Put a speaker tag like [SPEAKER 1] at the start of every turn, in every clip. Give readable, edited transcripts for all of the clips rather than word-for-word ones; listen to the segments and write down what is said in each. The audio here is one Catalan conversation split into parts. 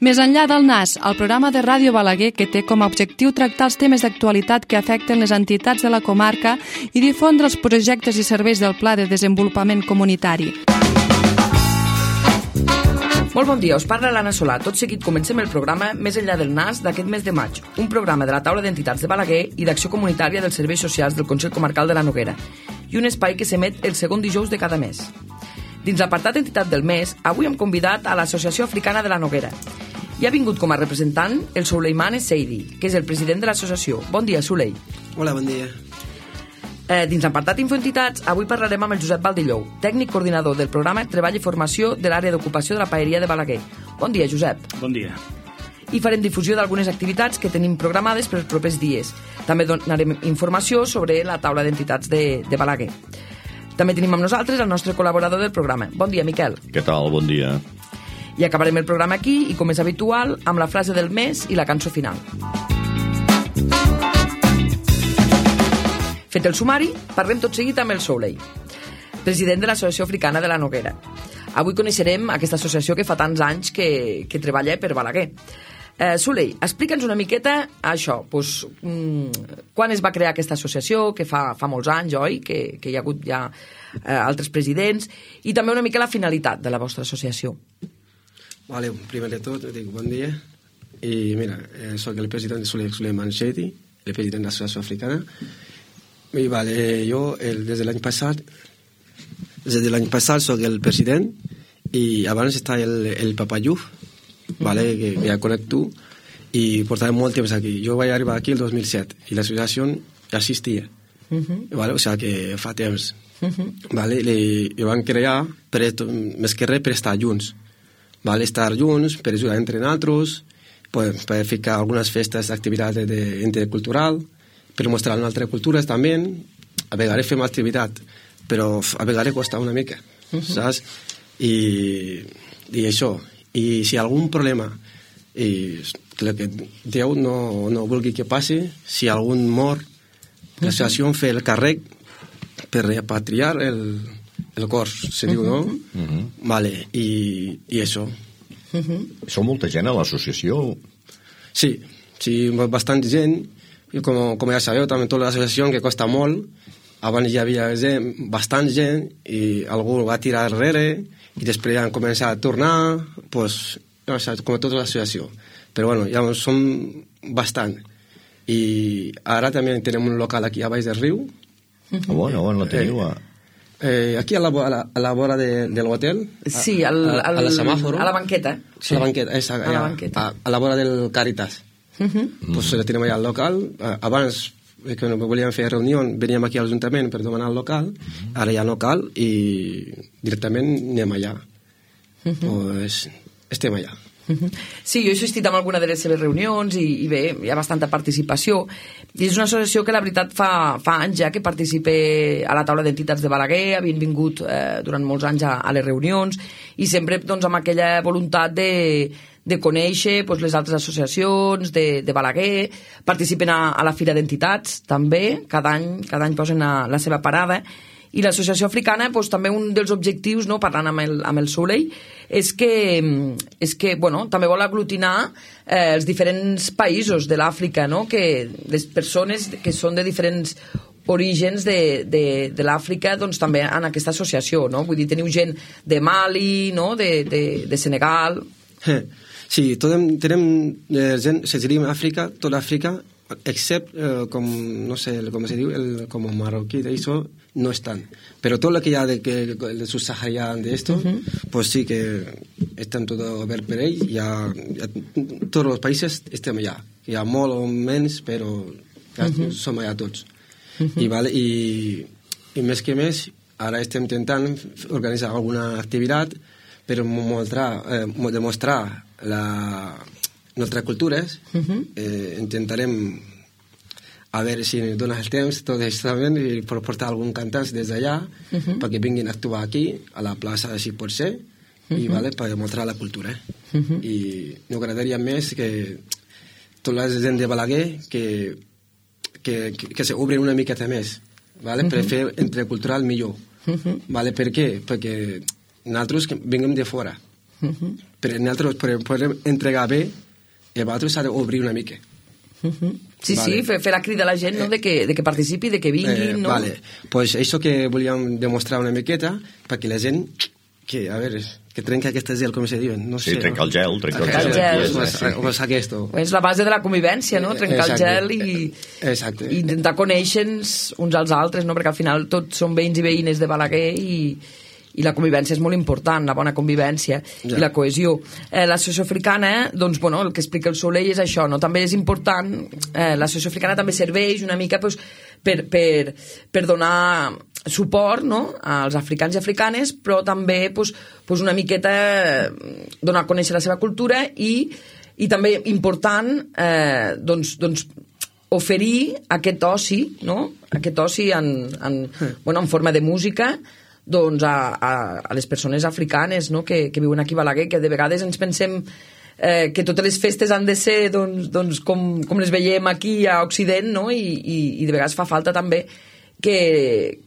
[SPEAKER 1] Més enllà del NAS, el programa de Ràdio Balaguer que té com a objectiu tractar els temes d'actualitat que afecten les entitats de la comarca i difondre els projectes i serveis del Pla de Desenvolupament Comunitari.
[SPEAKER 2] Molt bon dia, us parla l'Anna Solà. Tot seguit comencem el programa Més enllà del NAS d'aquest mes de maig, un programa de la taula d'entitats de Balaguer i d'acció comunitària dels serveis socials del Consell Comarcal de la Noguera i un espai que s'emet el segon dijous de cada mes. Dins l'apartat entitat del mes, avui hem convidat a l'Associació Africana de la Noguera. I ha vingut com a representant el Suleiman Seidi, que és el president de l'associació. Bon dia, Sulei.
[SPEAKER 3] Hola, bon dia.
[SPEAKER 2] Dins l'apartat Infoentitats, avui parlarem amb el Josep Valdellou, tècnic coordinador del programa Treball i Formació de l'àrea d'ocupació de la Paeria de Balaguer. Bon dia, Josep.
[SPEAKER 4] Bon dia.
[SPEAKER 2] I farem difusió d'algunes activitats que tenim programades per els propers dies. També donarem informació sobre la taula d'entitats de Balaguer. També tenim amb nosaltres el nostre col·laborador del programa. Bon dia, Miquel.
[SPEAKER 5] Què tal? Bon dia.
[SPEAKER 2] I acabarem el programa aquí i, com és habitual, amb la frase del mes i la cançó final. Fet el sumari, parlem tot seguit amb el Souley, president de l'Associació Africana de la Noguera. Avui coneixerem aquesta associació que fa tants anys que treballa per Balaguer. Souley, explica'ns una miqueta això, doncs, quan es va crear aquesta associació, que fa molts anys, oi? Que hi ha hagut ja altres presidents, i també una mica la finalitat de la vostra associació.
[SPEAKER 3] Vale, primer de tot, dic bon dia. I mira, soc el president de Suleiman Seidi, el president de l'Associació Africana. I vale, jo des de l'any passat soc el president i abans està el Papa Yuf, vale, que ja conec tu, i portava molt temps aquí. Jo vaig arribar aquí el 2007 i l'associació ja existia, vale, o sigui que fa temps. Vale, i van crear més que res per estar junts, vale, estar junts per ajudar entre nosaltres, per ficar algunes festes d'activitat intercultural, per mostrar altres cultures també. A vegades fem activitat, però a vegades costa una mica, saps? I això. I si hi ha algun problema i que Déu no vulgui que passi, si algun mor, l'associació fa el càrrec per repatriar el cor, se diu, no? Vale, i això.
[SPEAKER 5] Sou molta gent a l'associació?
[SPEAKER 3] Sí, bastant gent. I com ja sabeu, també tota l'associació que costa molt. Abans hi havia bastant gent i algú va tirar darrere i després han començat a tornar, pues, no sé, com tota l'associació. Però bueno, ja som bastant. I ara també tenim un local aquí a Baix del Riu.
[SPEAKER 5] On la teniu?
[SPEAKER 3] Aquí a la vora de l'hotel.
[SPEAKER 2] Sí,
[SPEAKER 3] a la semàforo.
[SPEAKER 2] A la banqueta.
[SPEAKER 3] Sí. A la banqueta, a la vora del Càritas. Pues la tenim allà al local. Abans que no volíem fer reunió, veníem aquí a l'Ajuntament per demanar el local, ara hi ha local i directament anem allà. Pues estem allà.
[SPEAKER 2] Sí, jo he assistit a alguna de les seves reunions i bé, hi ha bastanta participació i és una associació que la veritat fa anys ja que participa a la taula d'entitats de Balaguer, havien vingut durant molts anys a les reunions i sempre doncs, amb aquella voluntat de conèixer doncs, les altres associacions de Balaguer, participen a la Fira d'Entitats també, cada any posen la seva parada. I l'associació africana, doncs, també un dels objectius, no, parlant amb el Souley, és que bueno, també vol aglutinar els diferents països de l'Àfrica, no? Que les persones que són de diferents orígens de l'Àfrica, doncs també en aquesta associació, no? Vull dir, teniu gent de Mali, no? De Senegal.
[SPEAKER 3] Sí, tenim gent, se diria Àfrica, tota Àfrica, excepte, no sé com se diu, com marroquí, d'això, no estan. Però tot el que hi ha de subsaharià d'esto, pues sí que estan tot obert per ell. Tots els països estem allà. Hi ha molt o menys, però som allà tots. I més que més, ara estem intentant organitzar alguna activitat per demostrar nostres cultures. Intentarem a veure si dones el temps tot això també i portar algun cantants des d'allà perquè vinguin a actuar aquí a la plaça si pot ser i per demostrar la cultura i m'agradaria més que tota la gent de Balaguer que s'obrin una miqueta més per fer intercultural millor. Per què? Perquè nosaltres vinguem de fora Però nosaltres podem entregar bé i vosaltres s'ha d'obrir una mica.
[SPEAKER 2] Sí, vale. Sí, fer la crida a la gent, no? de que participi, de que vinguin, no?
[SPEAKER 3] Vale, pues això que volíem demostrar una miqueta perquè la gent que, a veure, que trenca aquest gel, com se diuen, no sé.
[SPEAKER 5] Sí, trenca el gel,
[SPEAKER 3] Pues aquest.
[SPEAKER 2] És la base de la convivència, no? Trencar el gel i intentar conèixer-nos uns als altres, no? Perquè al final tots som veïns i veïnes de Balaguer i la convivència és molt important, la bona convivència i la cohesió. L'associació africana, doncs, bueno, el que explica el Soleil és això, no? També és important, l'associació africana també serveix una mica pues, per donar suport, no? Als africans i africanes, però també pues, una miqueta donar a conèixer la seva cultura i també important doncs, oferir aquest oci, no? Aquest oci en forma de música, doncs a les persones africanes, no? que viuen aquí a Balaguer, que de vegades ens pensem que totes les festes han de ser doncs, com les veiem aquí a Occident, no? I de vegades fa falta també que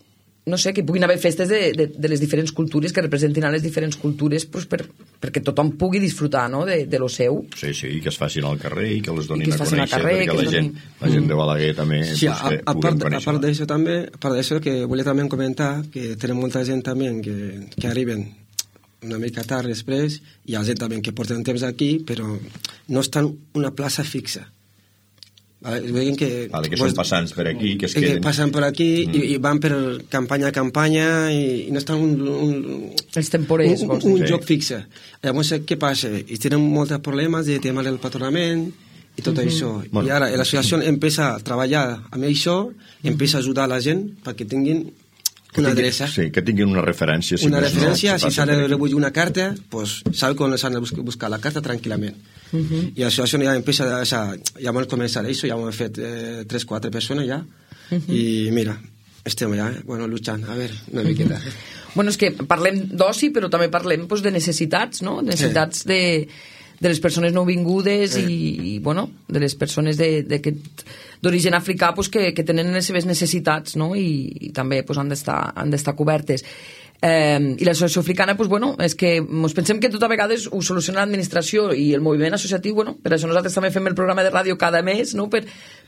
[SPEAKER 2] puguin haver festes de les diferents cultures, que representin a les diferents cultures pues, perquè tothom pugui disfrutar, no? de lo seu.
[SPEAKER 5] Sí, i que es facin al carrer i que les donin a conèixer,
[SPEAKER 2] carrer,
[SPEAKER 5] perquè la gent de Balaguer també
[SPEAKER 3] sí, a part d'això també, a part d'això que volia també comentar que tenim molta gent també que arriben una mica tard després i hi ha gent també que porten temps aquí però no estan una plaça fixa. Veiem que
[SPEAKER 5] són passants per aquí, que es queden...
[SPEAKER 3] passen per aquí i van per campanya a campanya i no estan
[SPEAKER 2] els temporers,
[SPEAKER 3] un joc fixe. Llavors, què passa? I tenen molts problemes de tema del patronament i tot això. I ara l'associació empieza a treballar amb això, empieza a ajudar la gent perquè tinguin una adreça.
[SPEAKER 5] Sí, que tinguin una referència.
[SPEAKER 3] Una referència, si s'ha de recollir una carta, pues sabe on s'han de buscar la carta tranquil·lament. I l'associació ja empieza ja vam començar això, ja hem fet 3-4 persones ja, i mira, estem ja, luchant, a veure, una miqueta.
[SPEAKER 2] Bueno, és que parlem d'oci, però també parlem pues, de necessitats, no? Necessitats de les persones nouvingudes i de les persones d'origen africà pues, que tenen les seves necessitats, no? I també pues, han d'estar cobertes. I l'associació africana és que ens pensem que tot a vegades ho soluciona l'administració i el moviment associatiu, per això nosaltres també fem el programa de ràdio cada mes, no? per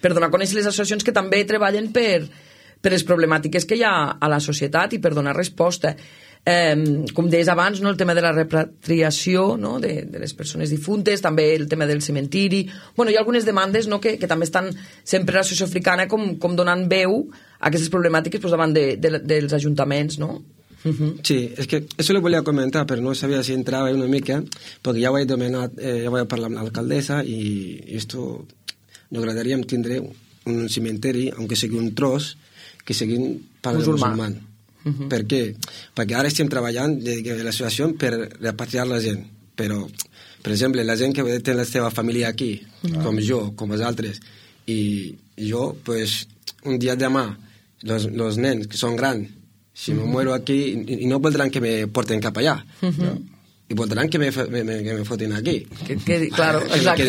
[SPEAKER 2] donar a conèixer les associacions que també treballen per les problemàtiques que hi ha a la societat i per donar resposta. Com deies abans, no? El tema de la repatriació, no? de les persones difuntes, també el tema del cementiri, hi ha algunes demandes, no? que també estan sempre a l'associació africana com donant veu a aquestes problemàtiques davant dels ajuntaments, no?
[SPEAKER 3] Sí, es que eso lo volía comentar, pero no sabía si entraba una mica, porque ya voy a parlar amb l'alcaldessa i esto nos agradaria tindre un cementeri, aunque sigui un tros, que sigui per al musulmà. Per què? Perquè ara estem treballant de l'associació per repatriar la gent, però, per exemple, la gent que té la seva família aquí, com jo, com els altres, i jo, pues, un dia demà, los nens que són grans, si me muero aquí, y no voldran que me porten cap allá, y voldran que me foten aquí.
[SPEAKER 2] Claro, exacto.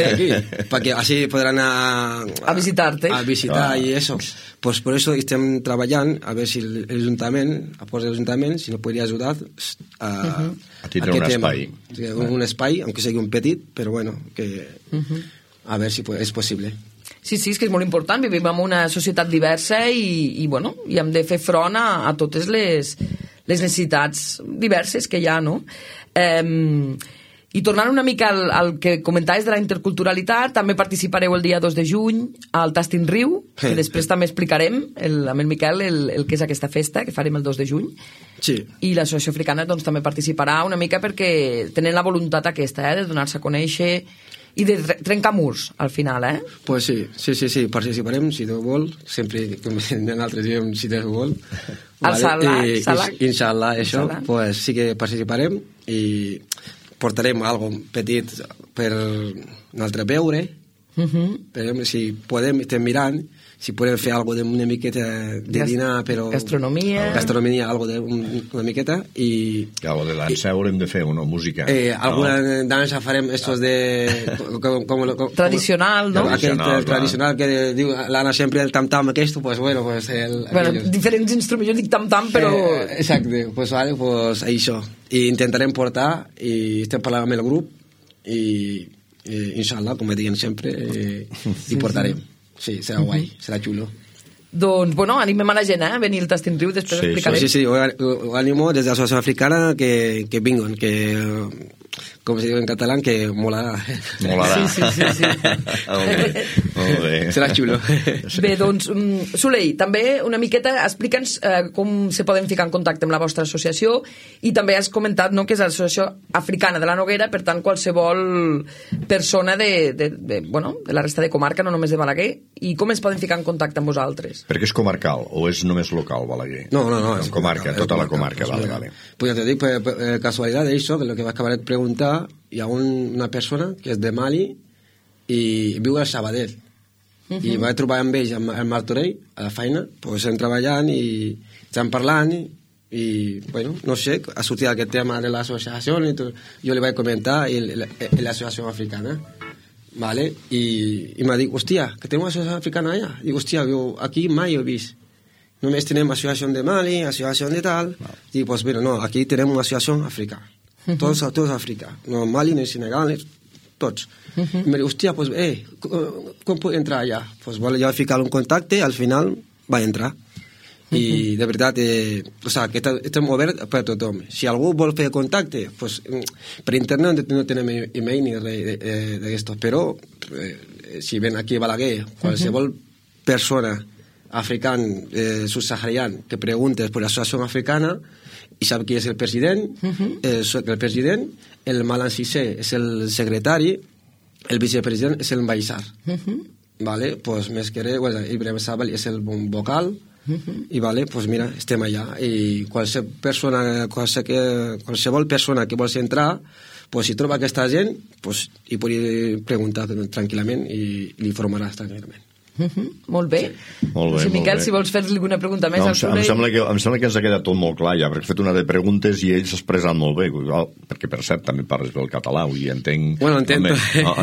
[SPEAKER 3] Porque así podrán a
[SPEAKER 2] visitarte.
[SPEAKER 3] A visitar y eso. Pues por eso estem treballant, a ver si l'Ajuntament, si nos podria ajudar a
[SPEAKER 5] tindre un espai.
[SPEAKER 3] Un espai, aunque sigui un petit, però bueno, que a ver si és possible.
[SPEAKER 2] Sí, és que és molt important, vivim en una societat diversa i hem de fer front a totes les necessitats diverses que hi ha, no? I tornant una mica al que comentaves de la interculturalitat, també participareu el dia 2 de juny al Tastin Riu, que després també explicarem amb el Miquel el que és aquesta festa, que farem el 2 de juny.
[SPEAKER 3] Sí.
[SPEAKER 2] I l'associació africana doncs, també participarà una mica perquè tenen la voluntat aquesta, de donar-se a conèixer i de trencar murs, al final,
[SPEAKER 3] Pues sí, participarem, si Déu vol, sempre, com nosaltres diem, si Déu vol.
[SPEAKER 2] Al Salah.
[SPEAKER 3] Inshallah, això, pues sí que participarem i portarem algo petit per nosaltres veure, si podem, estem mirant, si podem fer algo d'una miqueta de dinar, però...
[SPEAKER 2] Gastronomia,
[SPEAKER 3] algo d'una miqueta, i...
[SPEAKER 5] Algo de dansa haurem de fer, una música.
[SPEAKER 3] Alguna dansa farem estos de...
[SPEAKER 2] Tradicional, no?
[SPEAKER 3] Tradicional que diu l'Anna sempre el tam-tam aquest, pues bueno, pues...
[SPEAKER 2] Diferents instruments, jo dic tam-tam, però...
[SPEAKER 3] Exacte, pues vale, pues això. i intentarem portar, i estem parlant amb el grup, i inshallah, com me diuen sempre, i portarem. Sí, serà guai, serà xulo.
[SPEAKER 2] Doncs, bueno, animem a la gent, venir al Tastin Riu, després explicarem.
[SPEAKER 3] Sí, ho animo des de l'Associació Africana que vinguin, que, com se diu en català, que molarà.
[SPEAKER 5] Molarà.
[SPEAKER 2] Sí.
[SPEAKER 5] Molt bé.
[SPEAKER 3] Serà xulo.
[SPEAKER 2] Bé, doncs, Soleil, també una miqueta explica'ns com se poden ficar en contacte amb la vostra associació, i també has comentat, no?, que és l'Associació Africana de la Noguera, per tant, qualsevol persona de la resta de comarca, no només de Balaguer, i com es poden ficar en contacte amb vosaltres?
[SPEAKER 5] Perquè és comarcal o és només local, Balaguer?
[SPEAKER 3] No.
[SPEAKER 5] És comarca, tota la comarca, vale.
[SPEAKER 3] Pues ja te dic, per casualitat d'això, que el que acabaré de preguntar, hi ha una persona que és de Mali i viu a Sabadell. I vaig trobar amb ells, al Martorell, a la feina, pues estem treballant i estem parlant i, bueno, no sé, ha sortit aquest tema de l'associació i jo li vaig comentar l'associació africana. Vale? I m'ha dit, hòstia, que tenim una associació africana allà. Dic, hòstia, aquí mai ho he vist. Només tenim associació de Mali, associació de tal. Dic, pues bueno, no, aquí tenim una associació africana. Tots Àfrica. No Mali, ni Senegal, tots. I m'ha dit, hòstia, pues, com puc entrar allà? Pues jo vaig ficar un contacte, al final va entrar. I de veritat, que estem oberts per a tothom. Si algú vol fer contacte, pues, per internet no tenim email ni res d'aquesto, però si ven aquí a Balaguer, qualsevol persona africana, subsahariana, que preguntes per l'associació africana i sap qui és el president, el Malan Cissé és el secretari, el vicepresident és el Baissar. Vale? Pues més que res, Ibrahim Sabal és el vocal, i vale, pues mira, estem allà i qualsevol persona que vols entrar, pues si troba aquesta gent, pues hi pot preguntar tranquil·lament i li informaràs tranquil·lament.
[SPEAKER 2] Molt bé. Si Miquel, si vols fer-li alguna pregunta més al Soleil.
[SPEAKER 5] Em sembla que ens ha quedat tot molt clar ja, perquè he fet una de preguntes i ell s'ha expressat molt bé, perquè per cert també parles bé el català, vull dir, entenc...
[SPEAKER 3] Bueno, entento.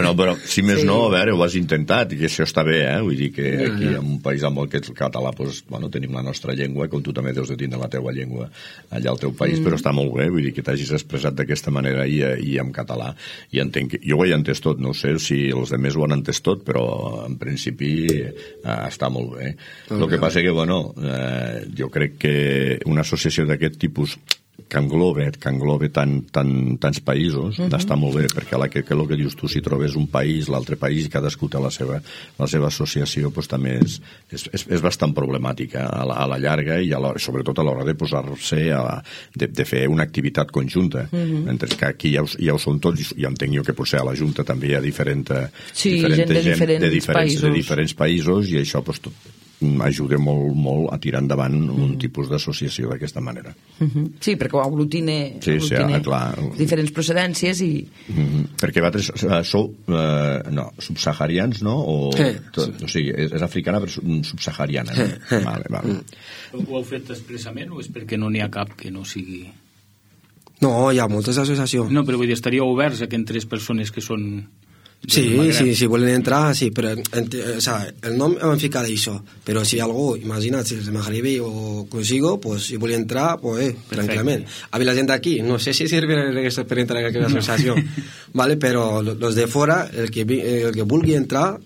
[SPEAKER 5] No, però si més no, a veure, ho has intentat, i que això està bé, vull dir que aquí en un país amb el que és el català, doncs, bueno, tenim la nostra llengua, com tu també deus de tindre la teua llengua allà al teu país, però està molt bé, vull dir que t'hagis expressat d'aquesta manera i en català, i entenc, jo ho he entès tot, no sé si els altres ho han entès tot, però en principi està molt bé. El que passa que, bueno, jo crec que una associació d'aquest tipus que englobe tants països, està molt bé, perquè el que dius tu, si trobes un país, l'altre país, i cadascú té la seva associació, doncs també és bastant problemàtica a la llarga i sobretot a l'hora de posar-se de fer una activitat conjunta, mentre que aquí ja ho són tots, i entenc jo que potser a la Junta també hi ha gent de diferents països, i això ajuda molt a tirar endavant un tipus d'associació d'aquesta manera.
[SPEAKER 2] Sí, perquè ho aglutina diferents procedències i...
[SPEAKER 5] Perquè vosaltres sou subsaharians, no? O sigui, és africana però subsahariana. Vale.
[SPEAKER 4] Ho heu fet expressament o és perquè no n'hi ha cap que no sigui...
[SPEAKER 3] No, hi ha moltes associacions.
[SPEAKER 4] No, però vull dir, estaríeu oberts a que entres persones que són...
[SPEAKER 3] Sí, volen entrar, sí, però el nom hem ficat això, però si algú, imagina't, si és Maghribi o consigo, pues si vol entrar, pues tranquil·lament. A la gent d'aquí, no sé si sirve per entrar en aquesta associació, vale, però los de fora, el que vulgui entrar,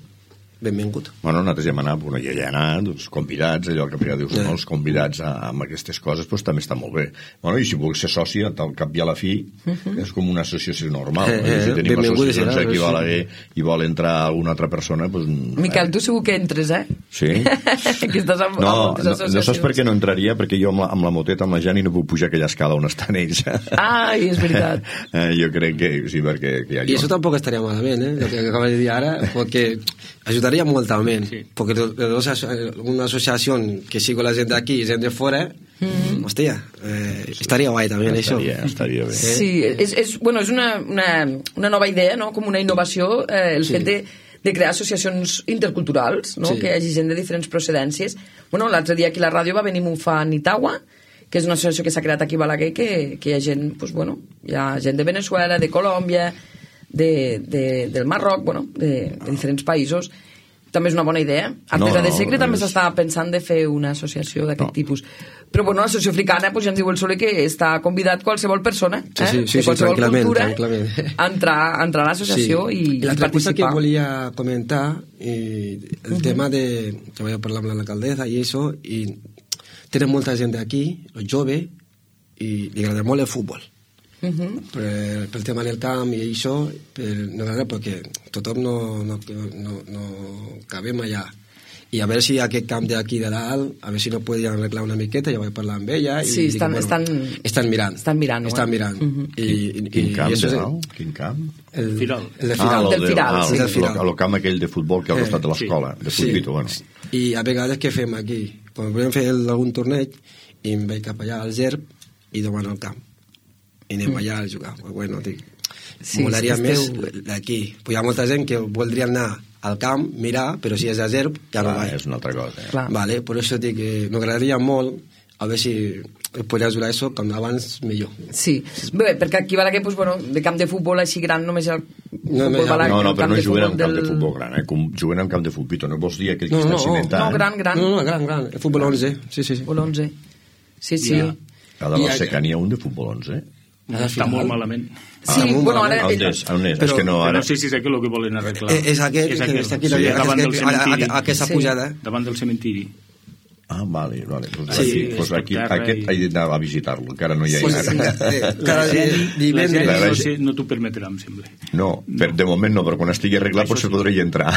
[SPEAKER 3] benvingut.
[SPEAKER 5] Bueno, nosaltres ja hem anat, i allà hem anat, convidats, allò que dius, els convidats amb aquestes coses, doncs també està molt bé. Bueno, i si vols ser soci, al cap i a la fi, és com una associació normal. Si tenim associacions aquí a Balaguer i vol entrar alguna altra persona, doncs...
[SPEAKER 2] Miquel, tu segur que entres,
[SPEAKER 5] Sí.
[SPEAKER 2] Que estàs amb moltes associacions.
[SPEAKER 5] No saps per què no entraria? Perquè jo amb la moteta, amb la Jani, no puc pujar aquella escala on estan ells.
[SPEAKER 2] És veritat.
[SPEAKER 5] Jo crec que sí, perquè...
[SPEAKER 3] I això tampoc estaria malament, el que acabes de dir ara, perquè ajudaria molt també, perquè una associació que sigo la gent d'aquí i gent de fora, hòstia, estaria guai també això.
[SPEAKER 5] Estaria bé.
[SPEAKER 2] Sí, és una nova idea, no? Com una innovació, el fet de crear associacions interculturals, no? Que hi hagi gent de diferents procedències. L'altre dia aquí a la ràdio va venir Mufa Nitawa, que és una associació que s'ha creat aquí a Balaguer, que hi ha gent, hi ha gent de Venezuela, de Colòmbia, del Marroc, de diferents països, també és una bona idea. Artesa de Segre també s'està pensant de fer una associació d'aquest tipus. Però bueno, l'associació africana, pues, ja ens diu el Soler que està convidat qualsevol persona,
[SPEAKER 3] sí,
[SPEAKER 2] de qualsevol cultura,
[SPEAKER 3] tranquil·lament.
[SPEAKER 2] a entrar a l'associació i
[SPEAKER 3] l'altra cosa que
[SPEAKER 2] participar.
[SPEAKER 3] volia comentar, el tema de que vaig parlar amb l'alcaldessa i això, i tenen molta gent d'aquí, els joves, i li agrada molt el futbol. Pel tema del camp i això, no agrada perquè tothom no cabem allà. I a veure si aquest camp d'aquí de dalt, a veure si no podien arreglar una miqueta, ja vaig parlar amb ella.
[SPEAKER 2] Sí,
[SPEAKER 3] i estan mirant.
[SPEAKER 5] Quin camp de dalt? Quin camp?
[SPEAKER 3] El Firal.
[SPEAKER 2] El Firal.
[SPEAKER 5] El camp aquell de futbol que al costat de l'escola, de futbito, bueno.
[SPEAKER 3] I a vegades què fem aquí? Quan volem fer algun torneig, i em vaig cap allà al GERB i demano el camp. I anem allà a jugar. Bueno, dic, molaria més d'aquí. Hi ha molta gent que voldria anar al camp, mirar, però si és a GERB ja no va.
[SPEAKER 5] És una altra cosa.
[SPEAKER 3] Vale, per això dic que m'agradaria molt a veure si podria ajudar això com abans millor.
[SPEAKER 2] Sí, bé, perquè aquí Balaguer, pues, bueno, de camp de futbol així gran només el futbol Balaguer.
[SPEAKER 5] No, però no juguen en camp de futbol gran, juguen en camp de futbito, no vols dir aquell que està cimentant?
[SPEAKER 2] No, gran.
[SPEAKER 3] No, gran, el futbol 11, sí.
[SPEAKER 2] Futbol 11, sí.
[SPEAKER 5] A de la Seca n'hi ha un de futbol 11,
[SPEAKER 4] Està molt malament.
[SPEAKER 2] Sí, bueno, ara...
[SPEAKER 5] On és? És que no, ara...
[SPEAKER 4] No sé si és aquí el que volen arreglar.
[SPEAKER 3] És aquest, que està aquí,
[SPEAKER 4] davant del cementiri.
[SPEAKER 3] Aquesta pujada.
[SPEAKER 4] Davant del cementiri.
[SPEAKER 5] Ah, vale. Pues aquí he d'anar a visitar-lo, encara no hi ha anat.
[SPEAKER 3] Cada divendres.
[SPEAKER 4] No t'ho permetrà, em sembla.
[SPEAKER 5] No, de moment no, però quan estigui arreglat potser podria entrar.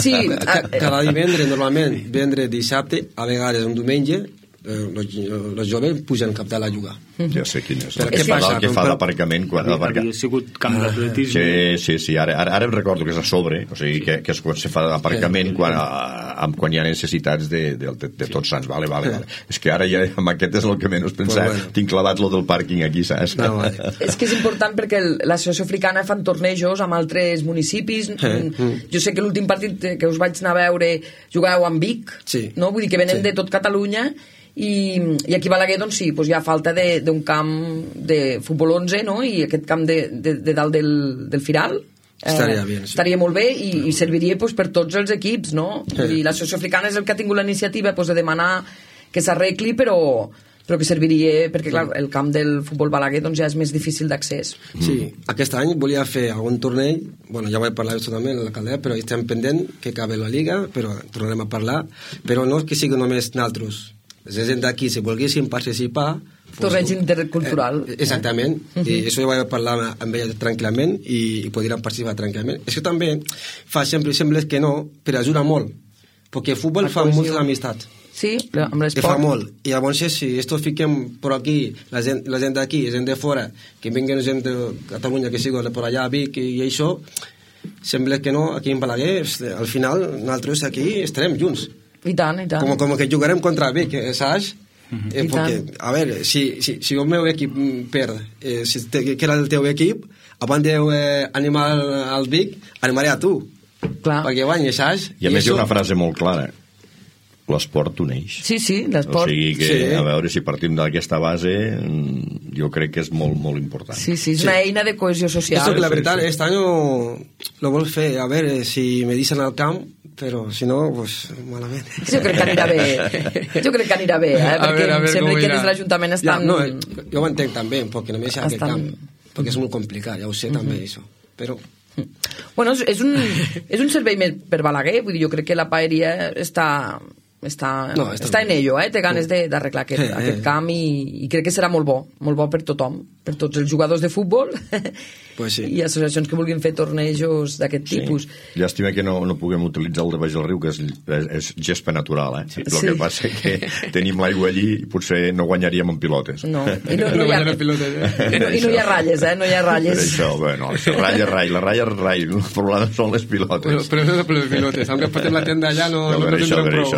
[SPEAKER 2] Sí.
[SPEAKER 3] Cada divendres, normalment, divendres, dissabte, a vegades un diumenge, els joves pugen cap dalt a jugar.
[SPEAKER 5] Ja sé quin és.
[SPEAKER 3] Què passa?
[SPEAKER 5] El que fa l'aparcament quan
[SPEAKER 4] havia sigut camp d'atletisme.
[SPEAKER 5] Sí, ara em recordo que és a sobre, o sigui que és quan se fa l'aparcament quan hi ha necessitats de tots sants. Vale. És que ara ja amb aquest és el que menys pensar. Tinc clavat lo del pàrquing aquí, saps?
[SPEAKER 2] És que és important perquè l'associació africana fan tornejos amb altres municipis. Jo sé que l'últim partit que us vaig anar a veure jugàveu amb Vic, no? Vull dir que venen de tot Catalunya. I aquí a Balaguer doncs sí, doncs hi ha falta d'un camp de futbol 11, no? I aquest camp de dalt del Firal estaria molt bé i serviria doncs, per tots els equips, no? I l'associació africana és el que ha tingut la iniciativa doncs, de demanar que s'arregli, però que serviria, perquè clar, el camp del futbol Balaguer doncs, ja és més difícil d'accés.
[SPEAKER 3] Sí, aquest any volia fer algun torneig, bueno, ja vaig parlar d'això també amb l'alcaldessa, però estem pendent que acabi la Liga, però tornarem a parlar, però no que sigui només naltros. La gent d'aquí, si volguessin participar...
[SPEAKER 2] Torneig intercultural.
[SPEAKER 3] Exactament, i això ja vaig parlar amb ella tranquil·lament i podrien participar tranquil·lament. Això també fa sempre que no, però ajuda molt, perquè el futbol fa moltes amistats.
[SPEAKER 2] Sí, amb l'esport.
[SPEAKER 3] Fa molt, i llavors si esto fiquem per aquí, la gent d'aquí, la gent de fora, que vinguen gent de Catalunya, que sigui per allà a Vic i això, sembla que no, aquí en Balaguer, al final nosaltres aquí estarem junts.
[SPEAKER 2] I tant.
[SPEAKER 3] Com que jugarem contra Vic, saps? Perquè, a veure, si el meu equip perd, que era el teu equip, abans d'animar al Vic, animaré a tu.
[SPEAKER 2] Clar.
[SPEAKER 3] Perquè guanyi, saps?
[SPEAKER 5] I a més hi ha una frase molt clara. L'esport uneix.
[SPEAKER 2] Sí, l'esport.
[SPEAKER 5] O sigui que, a veure, si partim d'aquesta base, jo crec que és molt, molt important.
[SPEAKER 2] Sí, és una eina de cohesió social.
[SPEAKER 3] Esto que la veritat, este año lo vol fer, a veure si me dicen al camp, però si no, pues malament.
[SPEAKER 2] Jo crec que anirà bé, perquè sempre que des de l'Ajuntament estan...
[SPEAKER 3] No, jo ho entenc també, perquè només hi ha aquest camp, perquè és molt complicat, ja ho sé també, això, però...
[SPEAKER 2] Bueno, és un servei més per Balaguer, vull dir, jo crec que la paeria està en ello, té ganes d'arreglar aquest camp i crec que serà molt bo per tothom, per tots els jugadors de futbol i associacions que vulguin fer tornejos d'aquest tipus.
[SPEAKER 5] Llàstima que no puguem utilitzar el de baix del riu, que és gespa natural, el que passa que tenim l'aigua allí i potser no guanyaríem en pilotes.
[SPEAKER 2] No hi ha ratlles, no hi ha ratlles.
[SPEAKER 5] Per això, bueno, ratlla és rai, el problema són les pilotes.
[SPEAKER 3] Però no són les pilotes, aunque portem la tenda allà no tindrem prou.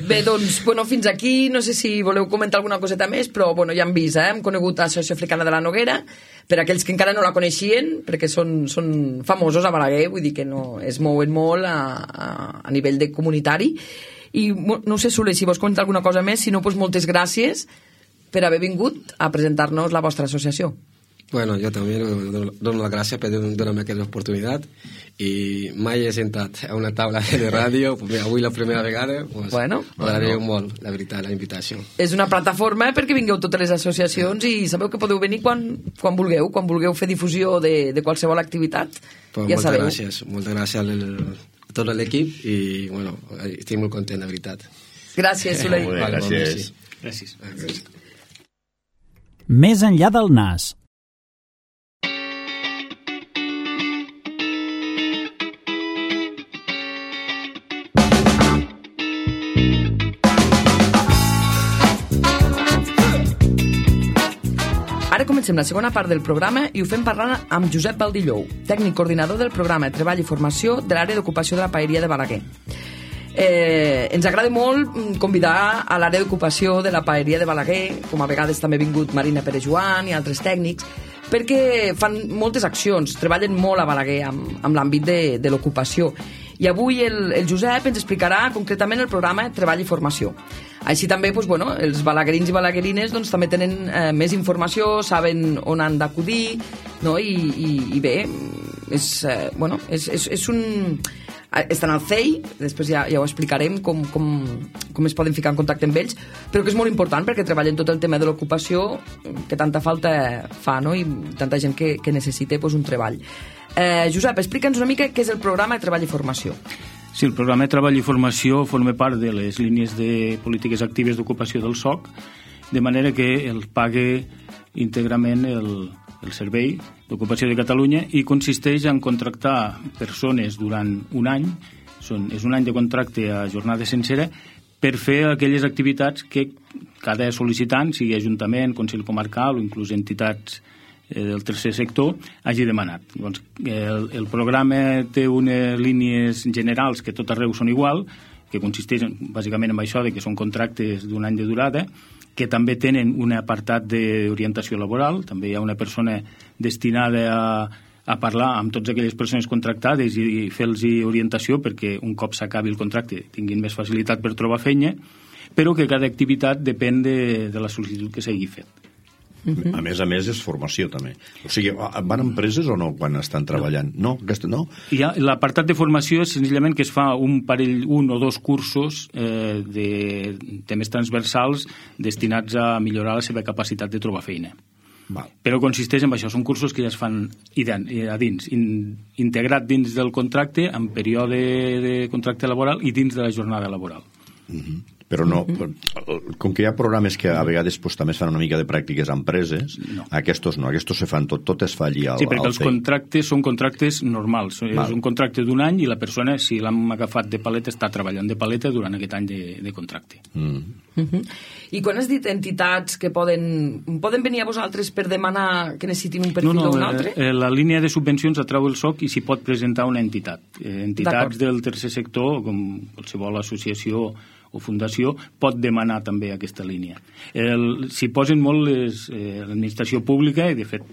[SPEAKER 2] Bé, doncs, fins aquí, no sé si voleu comentar alguna coseta més, però ja hem vist, hem conegut l'Associació Africana de la Noguera, per aquells que encara no la coneixien, perquè són famosos a Balaguer, vull dir que no es mouen molt a nivell de comunitari, i no sé, Soler, si vols comentar alguna cosa més, si no, moltes gràcies per haver vingut a presentar-nos la vostra associació.
[SPEAKER 3] Bueno, jo també dono les gràcies per donar-me aquesta oportunitat i mai he sentat a una taula de ràdio, avui la primera vegada, m'agradaria molt, la veritat, la invitació.
[SPEAKER 2] És una plataforma perquè vingueu totes les associacions i sabeu que podeu venir quan vulgueu fer difusió de qualsevol activitat. Ja sabeu.
[SPEAKER 3] Moltes gràcies a tot l'equip i bueno, estic molt content, la veritat.
[SPEAKER 2] Gràcies, Soleil.
[SPEAKER 4] Gràcies.
[SPEAKER 6] Més enllà del nas.
[SPEAKER 2] Ara comencem la segona part del programa i ho fem parlant amb Josep Baldillou, tècnic coordinador del programa de Treball i Formació de l'àrea d'ocupació de la Paeria de Balaguer. Ens agrada molt convidar a l'àrea d'ocupació de la Paeria de Balaguer, com a vegades també ha vingut Marina Pere-Joan i altres tècnics, perquè fan moltes accions, treballen molt a Balaguer amb l'àmbit de l'ocupació. I avui el Josep ens explicarà concretament el programa Treball i Formació. Així també els balaguerins i balaguerines també tenen més informació, saben on han d'acudir, no? I bé, és un... Estan al CEI, després ja ho explicarem com es poden ficar en contacte amb ells, però que és molt important perquè treballen tot el tema de l'ocupació que tanta falta fa, no? I tanta gent que necessita un treball. Josep, explica'ns una mica què és el programa de Treball i Formació.
[SPEAKER 4] Sí, el programa de Treball i Formació forma part de les línies de polítiques actives d'ocupació del SOC, de manera que el pague íntegrament el Servei d'Ocupació de Catalunya i consisteix en contractar persones durant un any, és un any de contracte a jornada sencera, per fer aquelles activitats que cada sol·licitant, sigui Ajuntament, Consell Comarcal o inclús entitats del tercer sector, hagi demanat. Doncs, el programa té unes línies generals que tot arreu són igual, que consisteixen bàsicament en això, que són contractes d'un any de durada, que també tenen un apartat d'orientació laboral, també hi ha una persona destinada a parlar amb totes aquelles persones contractades i fer-los orientació perquè un cop s'acabi el contracte tinguin més facilitat per trobar feina, però que cada activitat depèn de la sol·licitud que s'hagi fet.
[SPEAKER 5] A més és formació també. O sigui, van a empreses o no quan estan treballant? No? No?
[SPEAKER 4] L'apartat de formació és senzillament que es fa un o dos cursos de temes transversals destinats a millorar la seva capacitat de trobar feina.
[SPEAKER 5] Val.
[SPEAKER 4] Però consisteix en això, són cursos que ja es fan a dins, integrat dins del contracte, en període de contracte laboral i dins de la jornada laboral.
[SPEAKER 5] Però no, com que hi ha programes que a vegades també es fan una mica de pràctiques a empreses, aquests no, aquests se fan tot es fa allí al
[SPEAKER 4] Sí, perquè els contractes són contractes normals. És un contracte d'un any i la persona, si l'hem agafat de paleta, està treballant de paleta durant aquest any de contracte.
[SPEAKER 2] I quan has dit entitats que poden venir a vosaltres per demanar que necessitin un perfil o un altre?
[SPEAKER 4] La línia de subvencions atrau el SOC i s'hi pot presentar una entitat. Entitats del tercer sector, com qualsevol associació o fundació, pot demanar també aquesta línia. S'hi posen molt l'administració pública i de fet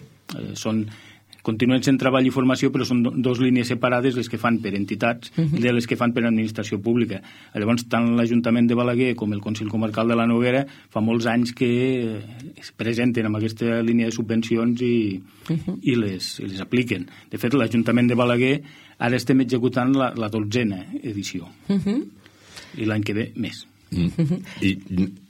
[SPEAKER 4] continuen sent treball i formació, però són dues línies separades les que fan per entitats de les que fan per administració pública. Llavors, tant l'Ajuntament de Balaguer com el Consell Comarcal de la Noguera fa molts anys que es presenten amb aquesta línia de subvencions i les apliquen. De fet, l'Ajuntament de Balaguer ara estem executant la 12a edició. I l'any que ve més.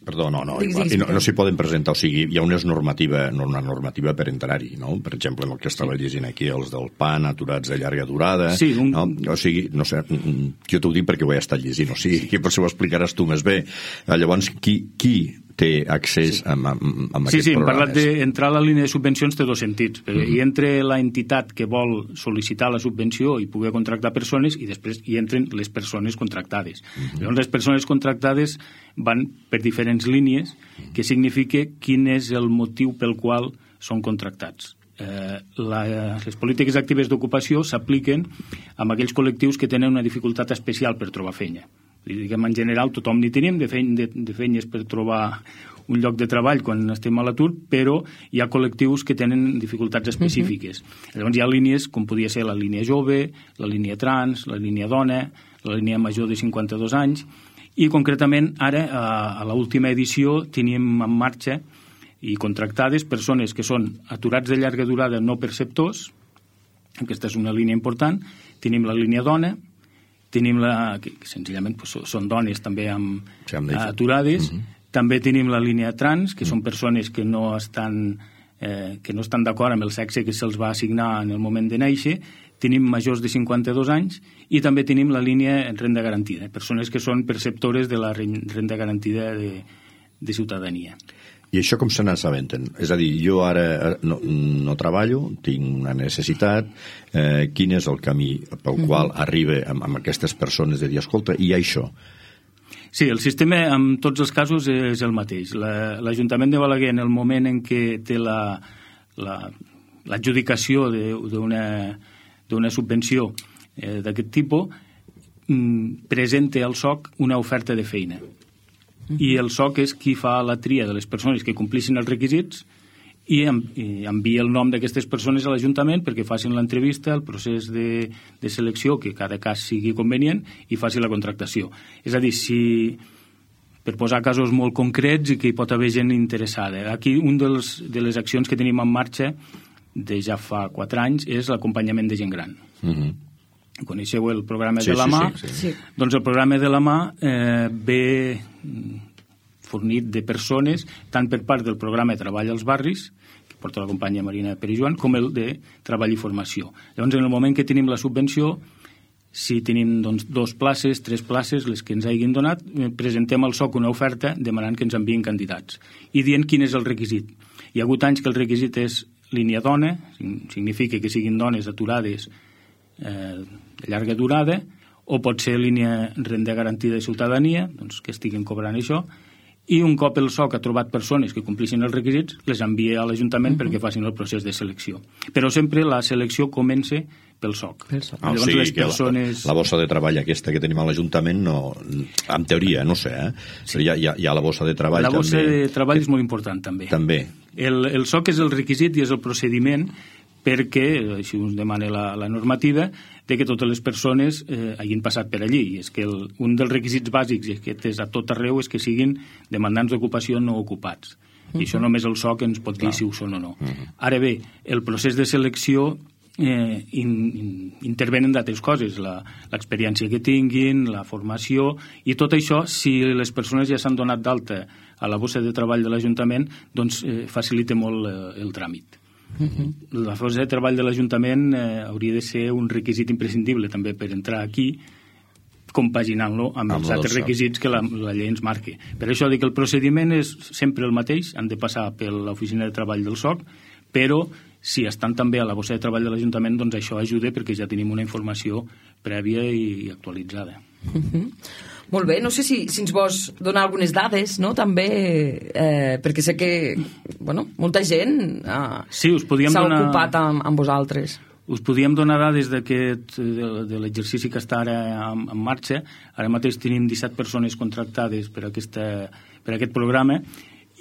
[SPEAKER 5] Perdó, no s'hi poden presentar, o sigui, hi ha una normativa per entrar-hi, no? Per exemple, el que estava llegint aquí, els del PAN, aturats de llarga durada,
[SPEAKER 4] sí,
[SPEAKER 5] no? O sigui, no sé, jo t'ho dic perquè ho he estat llegint, o sigui, que potser ho explicaràs tu més bé. Llavors, qui té accés a aquests programes?
[SPEAKER 4] Sí, hem parlat d'entrar a la línia de subvencions té dos sentits. Hi entra l'entitat que vol sol·licitar la subvenció i poder contractar persones i després hi entren les persones contractades. Llavors, les persones contractades van per diferents línies, que significa quin és el motiu pel qual són contractats. Les polítiques actives d'ocupació s'apliquen amb aquells col·lectius que tenen una dificultat especial per trobar feina. Diguem, en general, tothom n'hi tenim de feines per trobar un lloc de treball quan estem a l'atur, però hi ha col·lectius que tenen dificultats específiques. Llavors hi ha línies com podia ser la línia jove, la línia trans, la línia dona, la línia major de 52 anys, i concretament ara, a l'última edició, teníem en marxa i contractades, persones que són aturats de llarga durada no perceptors, aquesta és una línia important, tenim la línia dona, tenim que senzillament són dones també aturades, també tenim la línia trans, que són persones que no estan d'acord amb el sexe que se'ls va assignar en el moment de néixer, tenim majors de 52 anys i també tenim la línia renda garantida, persones que són perceptores de la renda garantida de ciutadania.
[SPEAKER 5] I això com se n'assabenten? És a dir, jo ara no treballo, tinc una necessitat, quin és el camí pel qual arriba amb aquestes persones de dir, escolta, i això?
[SPEAKER 4] Sí, el sistema en tots els casos és el mateix. L'Ajuntament de Balaguer, en el moment en què té l'adjudicació d'una subvenció d'aquest tipus, presenta al SOC una oferta de feina. I el SOC és qui fa la tria de les persones que complixin els requisits i envia el nom d'aquestes persones a l'Ajuntament perquè facin l'entrevista, el procés de selecció, que cada cas sigui convenient, i faci la contractació. És a dir, per posar casos molt concrets i que hi pot haver gent interessada. Aquí una de les accions que tenim en marxa de ja fa 4 anys és l'acompanyament de gent gran. Coneixeu el programa de la mà? Sí. Doncs el programa de la mà ve fornit de persones, tant per part del programa de treball als barris, que porta la companya Marina Perijoan, com el de treball i formació. Llavors, en el moment que tenim la subvenció, si tenim 2 places, 3 places, les que ens hagin donat, presentem al SOC una oferta demanant que ens enviïn candidats i dient quin és el requisit. Hi ha hagut anys que el requisit és línia dona, significa que siguin dones aturades de llarga durada, o pot ser línia renda garantida de ciutadania, doncs que estiguin cobrant això, i un cop el SOC ha trobat persones que complixin els requisits, les envia a l'Ajuntament perquè facin el procés de selecció. Però sempre la selecció comença pel SOC.
[SPEAKER 5] Llavors, les persones... La bossa de treball aquesta que tenim a l'Ajuntament, en teoria, no sé, però hi ha la bossa de treball també.
[SPEAKER 4] La bossa de treball és molt important, també. El SOC és el requisit i és el procediment perquè, així us demana la normativa, de que totes les persones hagin passat per allí. I és que un dels requisits bàsics, i aquest és a tot arreu, és que siguin demandants d'ocupació no ocupats. I això només el SOC ens pot dir si ho són o no. Ara bé, el procés de selecció intervenen d'altres coses, l'experiència que tinguin, la formació, i tot això, si les persones ja s'han donat d'alta a la bossa de treball de l'Ajuntament, doncs facilita molt el tràmit. La bossa de treball de l'Ajuntament hauria de ser un requisit imprescindible també per entrar aquí, compaginant-lo amb els altres requisits que la llei ens marca. Per això dic que el procediment és sempre el mateix, han de passar per l'oficina de treball del SOC, però si estan també a la bossa de treball de l'Ajuntament, doncs això ajuda perquè ja tenim una informació prèvia i actualitzada.
[SPEAKER 2] Molt bé, no sé si ens vols donar algunes dades, no?, també, perquè sé que, molta gent s'ha ocupat amb vosaltres.
[SPEAKER 4] Us podíem donar dades de l'exercici que està ara en marxa. Ara mateix tenim 17 persones contractades per aquest programa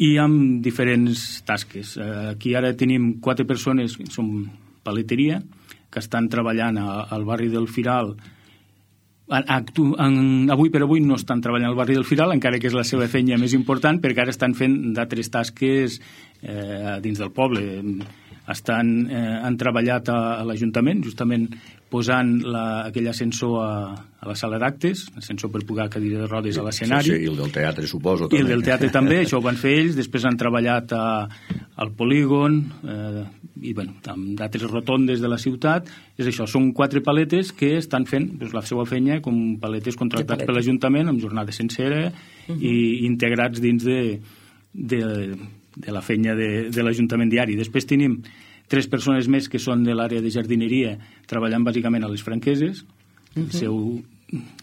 [SPEAKER 4] i amb diferents tasques. Aquí ara tenim 4 persones que són paleteria, que estan treballant al barri del Firal. Avui per avui no estan treballant al barri del Firal, encara que és la seva feina més important, perquè ara estan fent d'altres tasques dins del poble. Han treballat a l'Ajuntament, justament posant aquell ascensor a la sala d'actes, ascensor per pujar cadira de rodes a l'escenari.
[SPEAKER 5] Sí, i el del teatre, suposo.
[SPEAKER 4] I el del teatre també, això ho van fer ells. Després han treballat al polígon i amb d'altres rotondes de la ciutat. És això, són 4 paletes que estan fent la seva feina com paletes contractats per l'Ajuntament amb jornada sencera i integrats dins de la feina de l'Ajuntament diari. Després tenim 3 persones més que són de l'àrea de jardineria treballant bàsicament a les Franqueses. El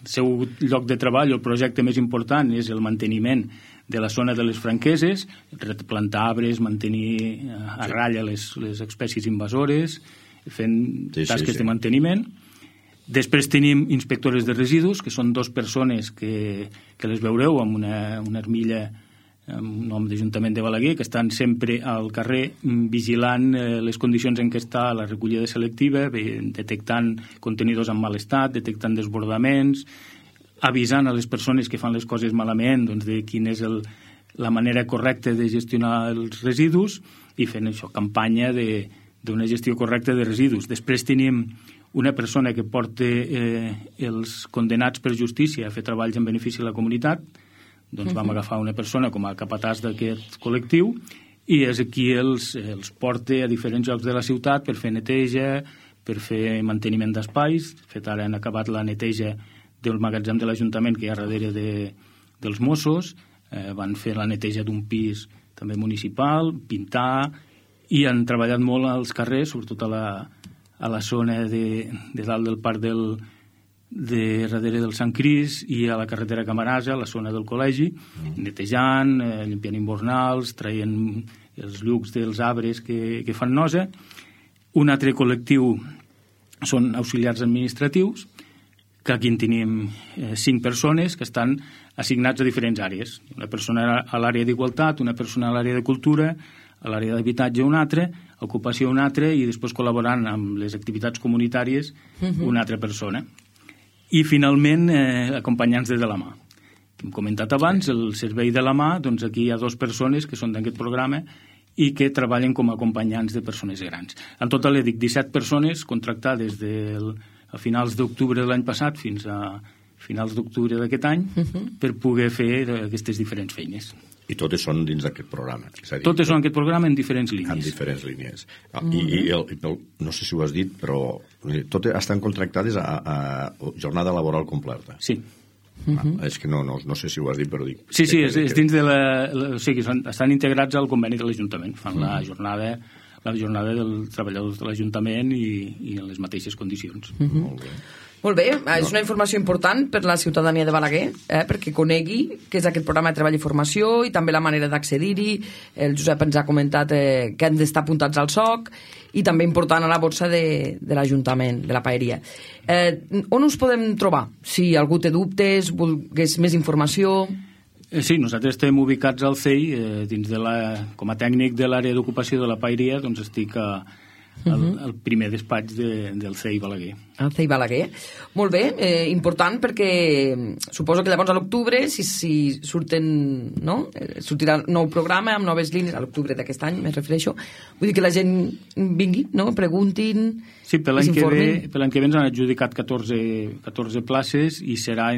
[SPEAKER 4] seu lloc de treball, el projecte més important és el manteniment de la zona de les Franqueses, plantar arbres, mantenir a ratlla les espècies invasores, fent tasques de manteniment. Després tenim inspectores de residus, que són 2 persones que les veureu amb una armilla amb nom d'Ajuntament de Balaguer, que estan sempre al carrer vigilant les condicions en què està la recollida selectiva, detectant contenidors en mal estat, detectant desbordaments, avisant a les persones que fan les coses malament de quin és la manera correcta de gestionar els residus i fent això, campanya d'una gestió correcta de residus. Després tenim una persona que porta els condenats per justícia a fer treballs en benefici de la comunitat. Doncs vam agafar una persona com a capatàs d'aquest col·lectiu i és aquí els porta a diferents llocs de la ciutat per fer neteja, per fer manteniment d'espais. De fet, ara han acabat la neteja del magatzem de l'Ajuntament que hi ha darrere dels Mossos. Van fer la neteja d'un pis també municipal, pintar, i han treballat molt als carrers, sobretot a la zona de dalt del parc de darrere del Sant Cris i a la carretera Camarasa, a la zona del col·legi, netejant, limpiant invernals, traient els llucs dels arbres que fan nosa. Un altre col·lectiu són auxiliars administratius, que aquí en tenim 5 persones que estan assignats a diferents àrees. Una persona a l'àrea d'igualtat, una persona a l'àrea de cultura, a l'àrea d'habitatge una altra, ocupació una altra i després col·laborant amb les activitats comunitàries una altra persona. I finalment acompanyants de la mà. Hem comentat abans, el servei de la mà, doncs aquí hi ha 2 persones que són d'aquest programa i que treballen com a acompanyants de persones grans. En total, dic 17 persones contractades a finals d'octubre de l'any passat fins a finals d'octubre d'aquest any per poder fer aquestes diferents feines.
[SPEAKER 5] I totes són dins d'aquest programa.
[SPEAKER 4] Totes són en aquest programa en diferents línies.
[SPEAKER 5] En diferents línies. No sé si ho has dit, però totes estan contractades a jornada laboral completa.
[SPEAKER 4] Sí.
[SPEAKER 5] És que no sé si ho has dit, però dic...
[SPEAKER 4] Sí, és dins de o sigui, estan integrats al conveni de l'Ajuntament. Fan la jornada dels treballadors de l'Ajuntament i en les mateixes condicions.
[SPEAKER 5] Molt bé.
[SPEAKER 2] Molt bé, és una informació important per la ciutadania de Balaguer, perquè conegui què és aquest programa de treball i formació i també la manera d'accedir-hi. El Josep ens ha comentat que han d'estar apuntats al SOC i també important a la borsa de l'Ajuntament, de la paeria. On us podem trobar? Si algú té dubtes, volgués més informació...
[SPEAKER 4] Sí, nosaltres estem ubicats al CEI, com a tècnic de l'àrea d'ocupació de la paeria, doncs estic al primer despatx del CEI Balaguer.
[SPEAKER 2] El CEI Balaguer. Molt bé, important perquè suposo que llavors a l'octubre, si surten, no? Sortirà nou programa amb noves línies, a l'octubre d'aquest any, me refereixo. Vull dir que la gent vingui, no? Preguntin,
[SPEAKER 4] sí, per l'any que ve ens han adjudicat 14 places i serà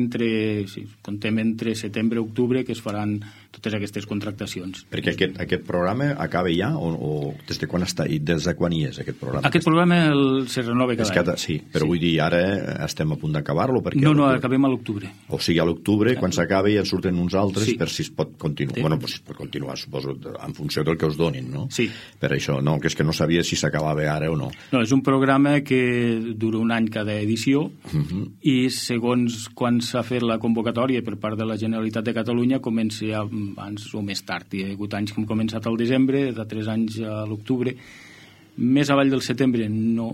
[SPEAKER 4] contem entre setembre i octubre que es faran totes aquestes contractacions.
[SPEAKER 5] Perquè aquest programa acaba ja o des de quan està i des de quan hi és aquest programa?
[SPEAKER 4] Aquest programa se renova cada any.
[SPEAKER 5] Sí, però vull dir, ara estem a punt d'acabar-lo perquè...
[SPEAKER 4] No, acabem a l'octubre.
[SPEAKER 5] O sigui, a l'octubre, quan s'acabi ja en surten uns altres per si es pot continuar. Sí. Bueno, pues es pot continuar, suposo, en funció del que us donin, no?
[SPEAKER 4] Sí.
[SPEAKER 5] Per això, no, que és que no sabia si s'acabava ara o no.
[SPEAKER 4] No, és un programa que dura un any cada edició i segons quan s'ha fet la convocatòria per part de la Generalitat de Catalunya comença ja abans o més tard. Hi ha hagut anys que hem començat al desembre, de 3 anys a l'octubre. Més avall del setembre no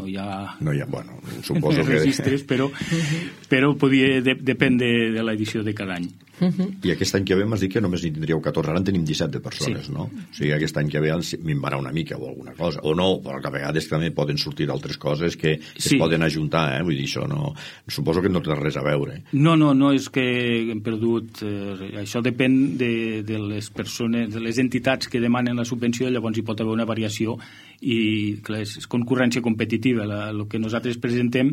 [SPEAKER 4] hi ha
[SPEAKER 5] bueno, suposo que...
[SPEAKER 4] registres, però depèn de l'edició de cada any.
[SPEAKER 5] I aquest any que ve m'has dit que només n'hi tindríeu 14, ara en tenim 17 de persones, sí. No? O sigui, aquest any que ve minvarà una mica o alguna cosa, o no, però que a vegades també poden sortir altres coses que es poden ajuntar, vull dir, això no... Suposo que no té res a veure.
[SPEAKER 4] No, és que hem perdut... això depèn de les persones, de les entitats que demanen la subvenció, llavors hi pot haver una variació i clar, és concurrència competitiva. El que nosaltres presentem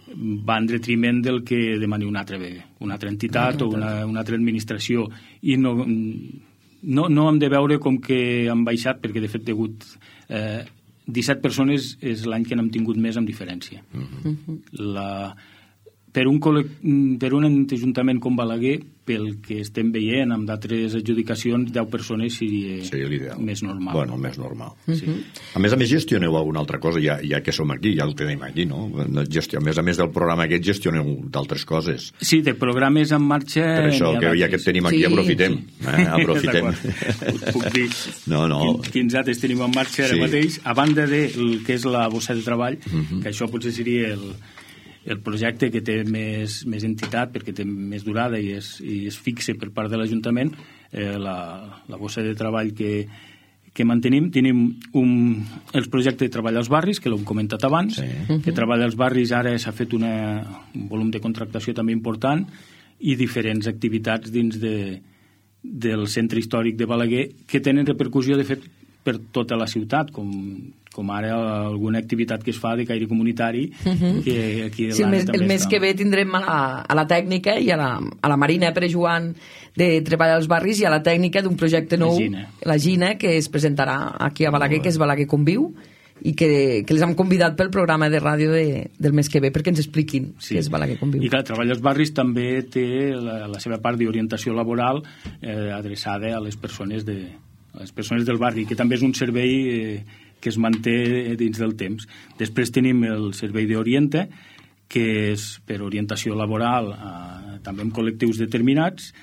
[SPEAKER 4] va en detriment del que demani una altra entitat o una altra administració i no hem de veure com que han baixat perquè de fet hi ha hagut 17 persones és l'any que n'hem tingut més amb diferència. Per un ajuntament com Balaguer, pel que estem veient amb d'altres adjudicacions, 10 persones seria més normal.
[SPEAKER 5] Bueno, més normal. Sí. A més gestioneu alguna altra cosa, ja que som aquí, ja el tenim aquí, no? A més del programa aquest gestioneu d'altres coses.
[SPEAKER 4] Sí, de programes en marxa...
[SPEAKER 5] Per això, que ja que tenim aquí, aprofitem. Aprofitem.
[SPEAKER 4] Puc dir quins altres tenim en marxa ara mateix, a banda del que és la bossa de treball, que això potser seria el projecte que té més entitat perquè té més durada i es fixa per part de l'Ajuntament, la bossa de treball que mantenim. Tenim els projectes de treball als barris, que l'hem comentat abans, que treball als barris ara s'ha fet un volum de contractació també important i diferents activitats dins del centre històric de Balaguer, que tenen repercussió, de fet, per tota la ciutat, com ara alguna activitat que es fa de caire comunitari, que aquí
[SPEAKER 2] sí, el mes que ve tindrem a la tècnica i a la Marina Pere Joan de Treballar als Barris i a la tècnica d'un projecte nou, la Gina, que es presentarà aquí a Balaguer, que és Balaguer Conviu, i que les hem convidat pel programa de ràdio del mes que ve perquè ens expliquin què és Balaguer Conviu.
[SPEAKER 4] I clar, Treballar als Barris també té la seva part d'orientació laboral adreçada a les persones del barri, que també és un servei que es manté dins del temps. Després tenim el servei d'Oriente, que és per orientació laboral també en col·lectius determinats.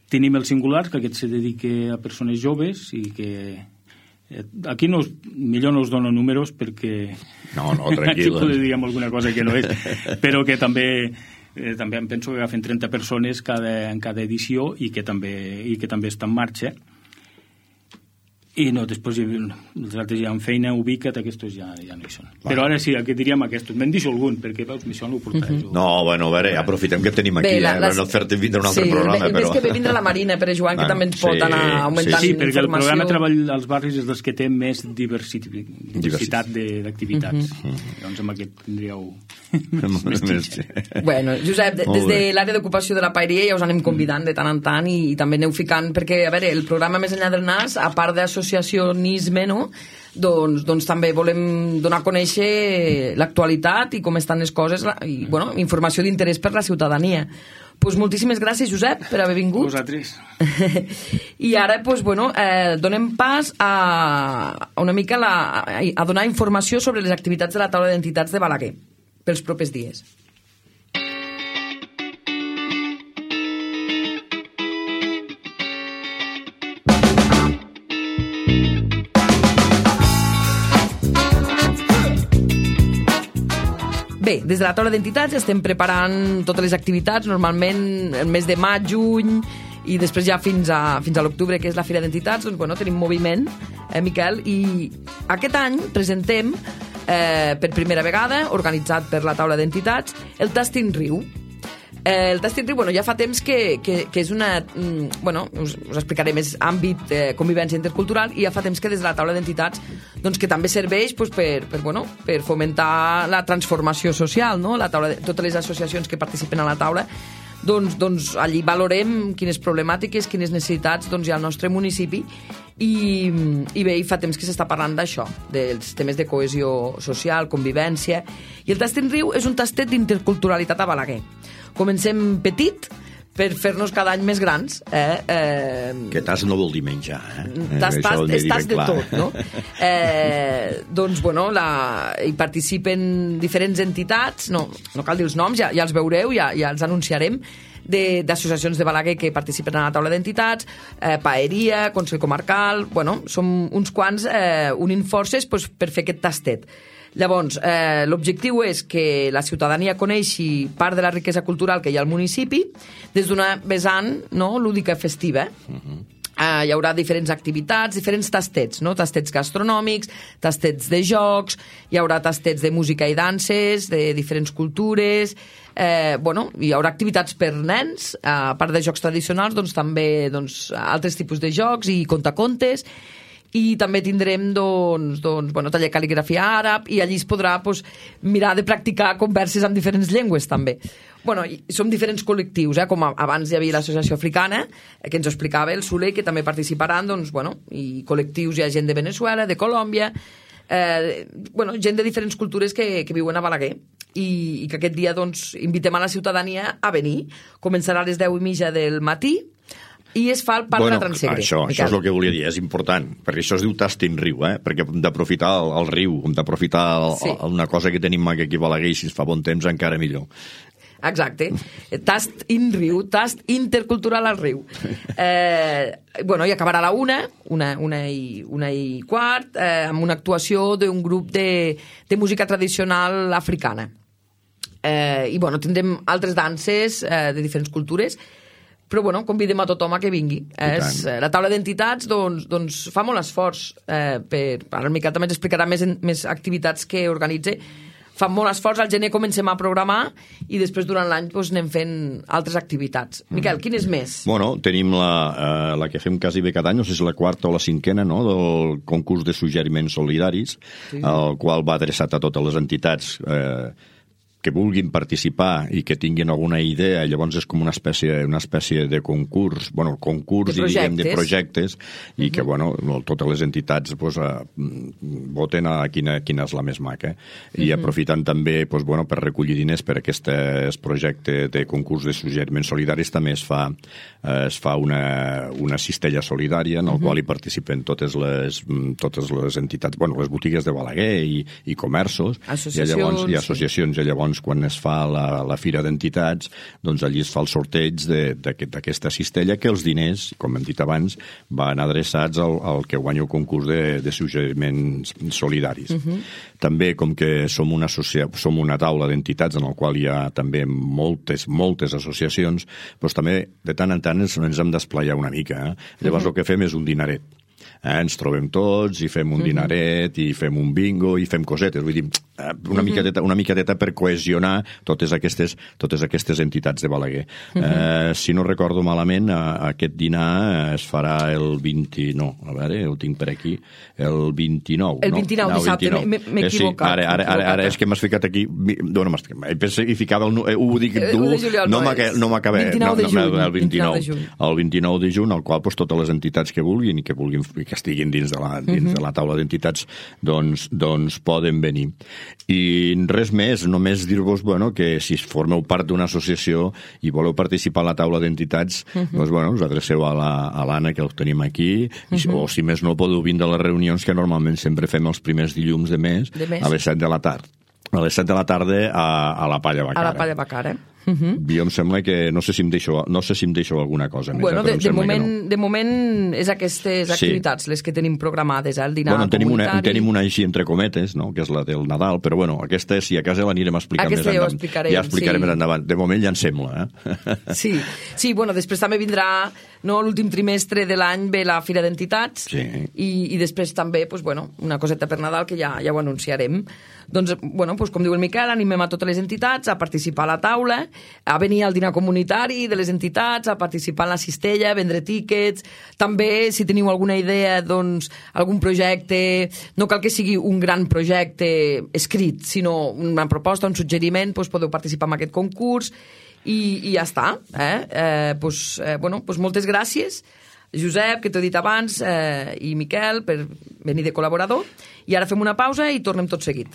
[SPEAKER 4] Tenim el Singular, que aquest se dedica a persones joves i que aquí millor no us dono números perquè
[SPEAKER 5] no, tranquil,
[SPEAKER 4] aquí diríem alguna cosa que no és, però que també em penso que agafen 30 persones en cada edició i que també està en marxa. I no, després els altres ja en feina, ubica't, aquests ja no hi són. Però ara sí, aquí diríem aquests. Me'n deixo algun, perquè veus, això no ho portaré.
[SPEAKER 5] No, bueno, a veure, aprofitem que tenim aquí, no fer-te vindre un altre programa.
[SPEAKER 2] Sí, més que ve vindre la Marina, Pere Joan, que també ens pot anar augmentant informació.
[SPEAKER 4] Sí, perquè el programa Treball als Barris és dels que té més diversitat d'activitats. Doncs amb aquest tindríeu més.
[SPEAKER 2] Bueno, Josep, des de l'àrea d'ocupació de la Paeria ja us anem convidant de tant en tant i també aneu ficant, perquè, a veure, el programa Més enllà del nas, a part d'associacionisme, no?, doncs també volem donar a conèixer l'actualitat i com estan les coses i, bueno, informació d'interès per la ciutadania. Pues moltíssimes gràcies, Josep, per haver vingut.
[SPEAKER 4] Vosaltres.
[SPEAKER 2] I ara, pues, bueno, donem pas a una mica a donar informació sobre les activitats de la taula d'entitats de Balaguer pels propers dies. Bé, des de la taula d'entitats estem preparant totes les activitats, normalment el mes de maig, juny, i després ja fins a l'octubre, que és la Fira d'Entitats, doncs, bueno, tenim moviment, Miquel, i aquest any presentem, per primera vegada, organitzat per la taula d'entitats, el Tastin Riu. El Tastin Riu, bueno, ja fa temps que és una... Bueno, us explicaré més àmbit convivència intercultural, i ja fa temps que des de la taula d'entitats doncs, que també serveix doncs, per fomentar la transformació social, no? Totes les associacions que participen a la taula, doncs allí valorem quines problemàtiques, quines necessitats doncs, hi ha al nostre municipi i bé, fa temps que s'està parlant d'això, dels temes de cohesió social, convivència, i el Tastin Riu és un tastet d'interculturalitat a Balaguer. Comencem petit per fer-nos cada any més grans.
[SPEAKER 5] Que tas no vol dir menjar.
[SPEAKER 2] Tas de tot, no? Doncs, bueno, hi participen diferents entitats, no cal dir els noms, ja els veureu, ja els anunciarem, d'associacions de Balaguer que participen a la taula d'entitats, Paeria, Consell Comarcal, bueno, som uns quants unint forces per fer aquest tastet. Llavors, l'objectiu és que la ciutadania coneixi part de la riquesa cultural que hi ha al municipi des d'una vessant lúdica festiva. Hi haurà diferents activitats, diferents tastets, no? Tastets gastronòmics, tastets de jocs, hi haurà tastets de música i danses, de diferents cultures, hi haurà activitats per nens, a part de jocs tradicionals, doncs també altres tipus de jocs i contacontes, i també tindrem taller de cal·ligrafia àrab, i allí es podrà mirar de practicar converses en diferents llengües també. Bueno, som diferents col·lectius, com abans hi havia l'associació africana, que ens ho explicava el Soler, que també participaran, i col·lectius, hi ha gent de Venezuela, de Colòmbia, gent de diferents cultures que viuen a Balaguer, i que aquest dia invitem a la ciutadania a venir. Començarà a les 10:30 del matí, i es fa el Parc de la Transegre.
[SPEAKER 5] Això és el que volia dir, és important, perquè això es diu Tastin Riu, perquè hem d'aprofitar el riu, hem d'aprofitar una cosa que tenim aquí a Balaguer, i si es fa bon temps encara millor.
[SPEAKER 2] Exacte. Tast in riu, tast intercultural al riu. I acabarà a la una i quart, amb una actuació d'un grup de música tradicional africana. Tindrem altres danses de diferents cultures, però convidem a tothom a que vingui. La taula d'entitats fa molt esforç, ara el Miquel també ens explicarà més activitats que organitza, fan molt esforç, al gener comencem a programar i després durant l'any doncs, anem fent altres activitats. Miquel, quin és més?
[SPEAKER 5] Bueno, tenim la que fem quasi bé cada any, no sé si és la quarta o la cinquena, no?, del concurs de suggeriments solidaris, el qual va adreçat a totes les entitats que vulguin participar i que tinguin alguna idea, llavors és com una espècie de concurs, bueno, concurs de projectes, i que, bueno, totes les entitats voten a quina és la més maca. I aprofitant també, bueno, per recollir diners per aquest projecte de concurs de suggeriments solidaris, també es fa una cistella solidària en el qual hi participen totes les entitats, bueno, les botigues de Balaguer i comerços, i associacions, i llavors quan es fa la fira d'entitats, doncs allí es fa el sorteig d'aquesta cistella, que els diners, com hem dit abans, van adreçats al que guanya el concurs de suggeriments solidaris. També, com que som una taula d'entitats en la qual hi ha també moltes associacions, doncs també de tant en tant ens hem d'esplaiar una mica. Llavors el que fem és un dinaret. Ens trobem tots i fem un dinaret i fem un bingo i fem cosetes, vull dir, una miqueteta per cohesionar totes aquestes entitats de Balaguer. Si no recordo malament, aquest dinar es farà el 20... No, a veure, ho tinc per aquí. El 29.
[SPEAKER 2] El 29, dissabte, m'he equivocat.
[SPEAKER 5] Ara és que m'has ficat aquí... He ficat ho dic dur, no m'acabé. El 29 de juny, al qual totes les entitats que vulguin i que estiguin dins de la taula d'entitats doncs poden venir. I res més, només dir-vos que si formeu part d'una associació i voleu participar a la taula d'entitats, doncs us adreceu a l'Anna, que ho tenim aquí, o si més no podeu vindre a les reunions que normalment sempre fem els primers dilluns de mes a les 7 de la tarda. A les 7 de la tarda a la Palla Bacara.
[SPEAKER 2] A la Palla Bacara.
[SPEAKER 5] Jo em sembla que no sé si em deixo alguna cosa més.
[SPEAKER 2] Bueno, de moment és aquestes activitats les que tenim programades, el dinar comunitari.
[SPEAKER 5] Tenim una així entre cometes, no?, que és la del Nadal, però bueno, aquesta si a casa l'anirem a explicar més endavant. Ja explicarem més endavant. De moment ja en sembla,
[SPEAKER 2] Sí, bueno, després també vindrà l'últim trimestre de l'any ve la Fira d'Entitats i després també una coseta per Nadal que ja ho anunciarem. Doncs, com diu el Miquel, animem a totes les entitats a participar a la taula, a venir al dinar comunitari de les entitats, a participar en la cistella, a vendre tíquets. També, si teniu alguna idea, doncs, algun projecte, no cal que sigui un gran projecte escrit, sinó una proposta, un suggeriment, podeu participar en aquest concurs i ja està. Moltes gràcies, Josep, que t'ho he dit abans, i Miquel, per venir de col·laborador. I ara fem una pausa i tornem tot seguit.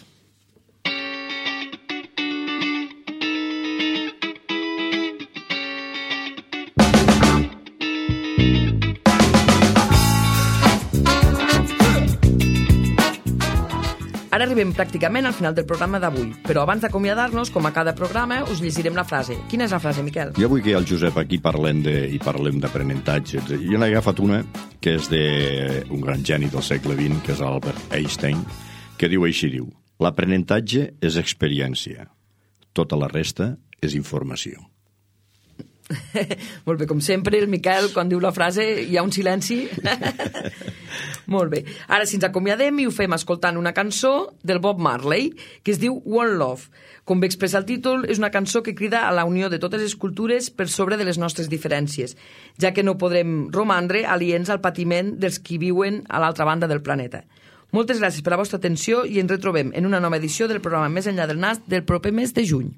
[SPEAKER 2] Ara arribem pràcticament al final del programa d'avui, però abans d'acomiadar-nos, com a cada programa, us llegirem la frase. Quina és la frase, Miquel?
[SPEAKER 5] Jo vull que el Josep aquí parlem d'aprenentatge. Jo n'he agafat una que és d'un gran geni del segle XX, que és Albert Einstein, que diu així, l'aprenentatge és experiència, tota la resta és informació.
[SPEAKER 2] Molt bé, com sempre, el Miquel, quan diu la frase, hi ha un silenci. Molt bé. Ara, si ens acomiadem i ho fem escoltant una cançó del Bob Marley, que es diu One Love. Com bé expressa el títol, és una cançó que crida a la unió de totes les cultures per sobre de les nostres diferències, ja que no podrem romandre aliens al patiment dels qui viuen a l'altra banda del planeta. Moltes gràcies per la vostra atenció i ens retrobem en una nova edició del programa Més enllà del nas del proper mes de juny.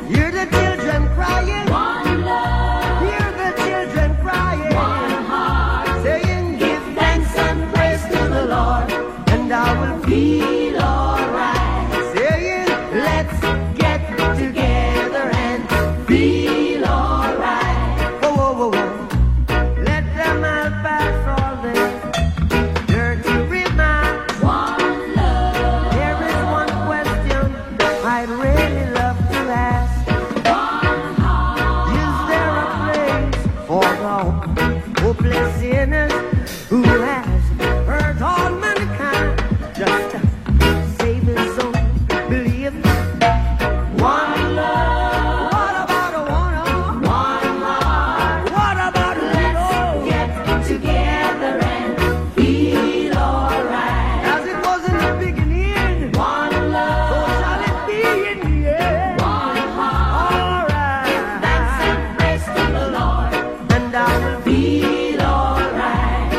[SPEAKER 6] Hear the children crying. all hopeless sinners who has hurt all mankind. Just save his soul, believe one love. What about a one heart? What about a let's get together and feel alright. As it was in the beginning, one love. So shall it be in the end. One heart. Alright. Give thanks and praise to the Lord, and I will feel alright.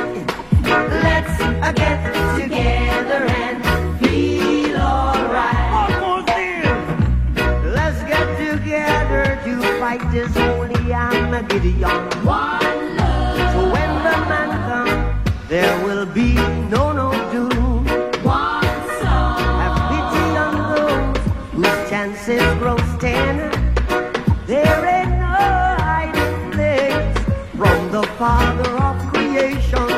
[SPEAKER 6] Let's get together and feel alright. Almost there. Let's get together to fight this holy Armageddon. One love. So when the man comes, there will be no doom. One song. Have pity on those whose chances grow thin. There ain't no hiding place from the Father of creation.